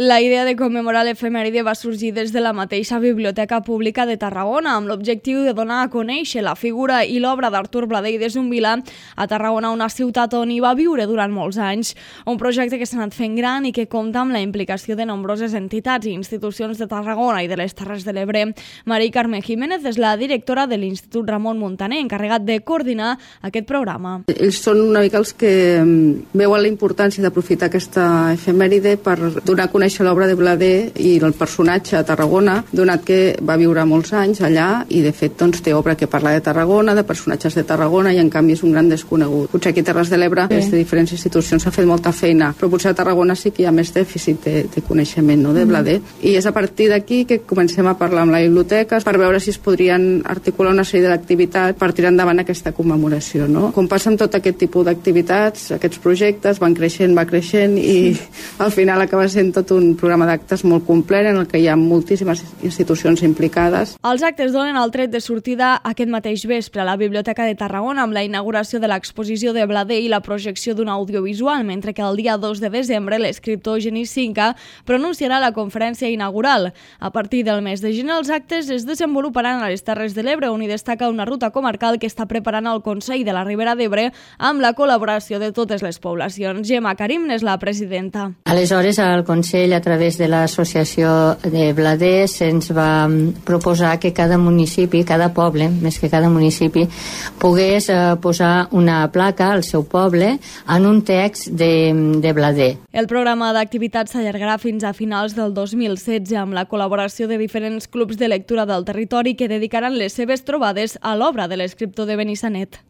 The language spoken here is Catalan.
La idea de commemorar l'efemèride va sorgir des de la mateixa Biblioteca Pública de Tarragona, amb l'objectiu de donar a conèixer la figura i l'obra d'Artur Bladé i de Zumbila a Tarragona, una ciutat on hi va viure durant molts anys. Un projecte que s'ha anat fent gran i que compta amb la implicació de nombroses entitats i institucions de Tarragona i de les Terres de l'Ebre. Mari Carme Jiménez és la directora de l'Institut Ramon Muntaner, encarregat de coordinar aquest programa. Ells són una mica els que veuen la importància d'aprofitar aquesta efemèride per donar a conèixer l'obra de Bladé i el personatge a Tarragona, donat que va viure molts anys allà i de fet té obra que parla de Tarragona, de personatges de Tarragona, i en canvi és un gran desconegut. Potser aquí a Terres de l'Ebre des de diferents institucions s'ha fet molta feina, però potser a Tarragona sí que hi ha més dèficit de coneixement, no, de Bladé. I és a partir d'aquí que comencem a parlar amb la biblioteca per veure si es podrien articular una sèrie d'activitats per tirar endavant aquesta commemoració, no? Com passa amb tot aquest tipus d'activitats, aquests projectes van creixent, va creixent i al final acaba sent tot un programa d'actes molt complet en el que hi ha moltíssimes institucions implicades. Els actes donen el tret de sortida aquest mateix vespre a la Biblioteca de Tarragona amb la inauguració de l'exposició de Bladé i la projecció d'un audiovisual, mentre que el dia 2 de desembre l'escriptor Genís Cinca pronunciarà la conferència inaugural. A partir del mes de gener els actes es desenvoluparan a les Terres de l'Ebre, on hi destaca una ruta comarcal que està preparant el Consell de la Ribera d'Ebre amb la col·laboració de totes les poblacions. Gemma Karim n'és la presidenta. Aleshores, el Consell, a través de l'associació de Bladé, se'ns va proposar que cada municipi, cada poble, més que cada municipi, pogués posar una placa al seu poble en un text de Bladé. El programa d'activitats s'allargarà fins a finals del 2016 amb la col·laboració de diferents clubs de lectura del territori que dedicaran les seves trobades a l'obra de l'escriptor de Benissanet.